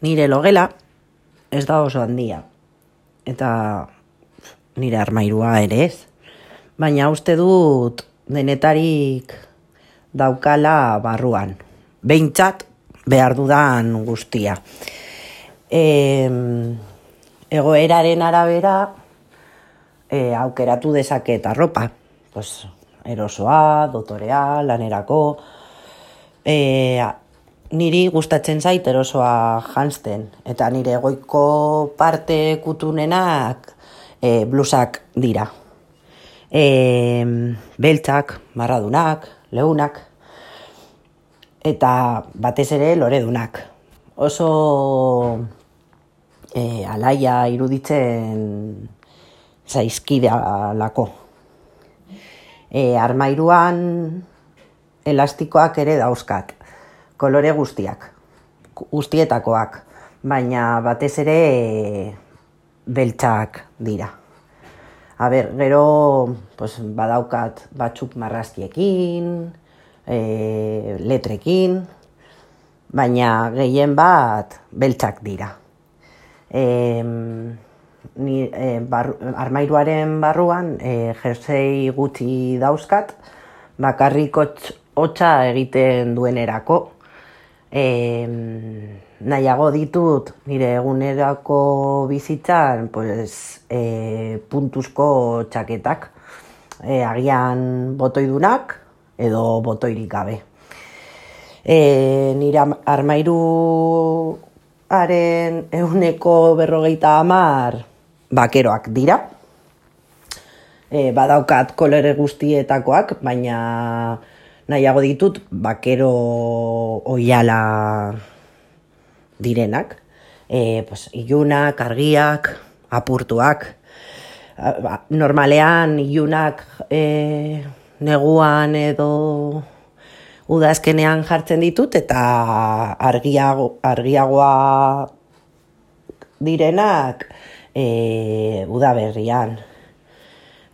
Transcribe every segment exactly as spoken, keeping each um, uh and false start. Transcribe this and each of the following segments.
Nire logela ez da oso handia, eta nire armairua ere ez. Baina uste dut denetarik daukala barruan. Behintzat behar dudan guztia. E, egoeraren arabera e, aukeratu dezaket arropa. Pues, erosoa, dotorea, lanerako. E, niri gustatzen zait erosoa janzten. Eta nire goiko parte kutunenak e, blusak dira. E, beltzak, marradunak, leunak, eta batez ere loredunak. Oso e, alaia iruditzen zaizkidalako. E, armairuan elastikoak ere dauzkat, kolore guztiak, guztietakoak, baina batez ere e, beltzak dira. A ber, gero pues, badaukat batzuk marrazkiekin, e, letrekin, baina gehien bat beltzak dira. E, ni, e, bar, armairuaren barruan e, jersei gutxi dauzkat, bakarrik hotza egiten duenerako. E, nahiago ditut nire egunerako bizitzan pues, e, puntuzko txaketak, e, agian botoidunak edo botoirik gabe. E, nire armairuaren ehuneko berrogeita hamar bakeroak dira. E, badaukat kolore guztietakoak, baina nahiago ditut bakero oiala direnak. E, pues, ilunak, argiak, apurtuak. Normalean ilunak e, neguan edo udazkenean jartzen ditut, eta argiago, argiagoa direnak e, udaberrian.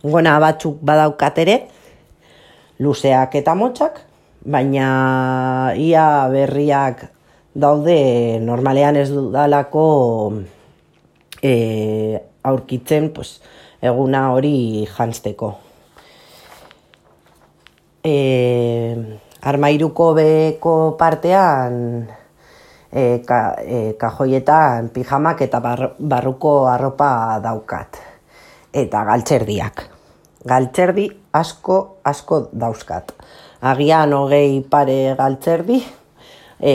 Gona batzuk badaukat ere, luzeak eta motxak, baina ia berriak daude normalean ez dudalako e, aurkitzen pues, eguna hori janzteko. E, armairuko beko partean e, ka, e, kajoietan pijamak eta bar, barruko arropa daukat. Eta galtzerdiak. Galtzerdi asko, asko dauzkat. Agian hogei pare galtzerdi, e,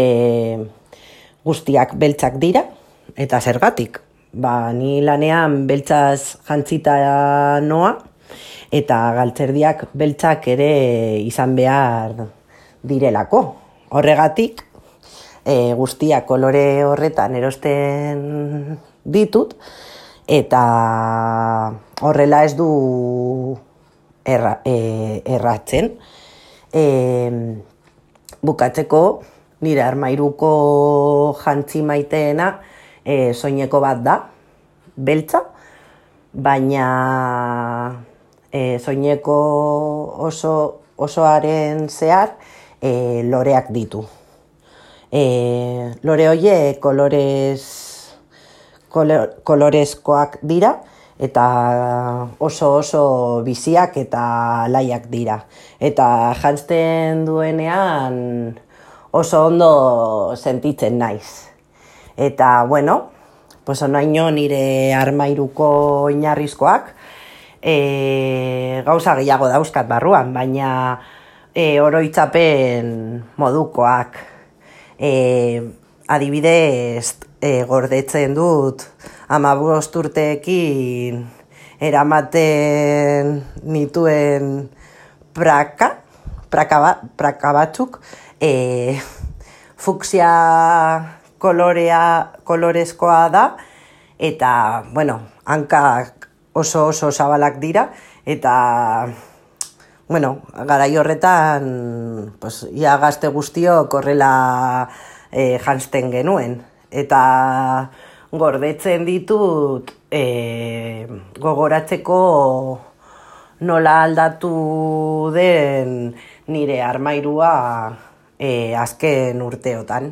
guztiak beltzak dira, eta zergatik. Ba, ni lanean beltzaz jantzita noa, eta galtzerdiak beltzak ere izan behar direlako. Horregatik, e, guztiak kolore horretan erosten ditut, eta horrela ez du erra, e, erratzen. E, bukatzeko nire armairuko jantzi maiteena e, soineko bat da, beltza, baina e, soineko oso, osoaren zehar e, loreak ditu. E, lore horiek kolorez kolorezkoak dira, eta oso oso biziak eta laiak dira. Eta janzten duenean oso ondo sentitzen naiz. Eta, bueno, pues onaino nire armairuko oinarrizkoak e, gauza gehiago dauzkat barruan, baina e, oroitzapen modukoak. E, adibidez, E, gordetzen dut hamabost urteekin eramaten nituen praka, praka, ba, praka batzuk, e, fuksia kolorea, kolorezkoa da, eta, bueno, hankak oso oso zabalak dira, eta, bueno, garai horretan, pues, ia gazte guztiok horrela e, janzten genuen. Eta gordetzen ditut e, gogoratzeko nola aldatu den nire armairua e, azken urteotan.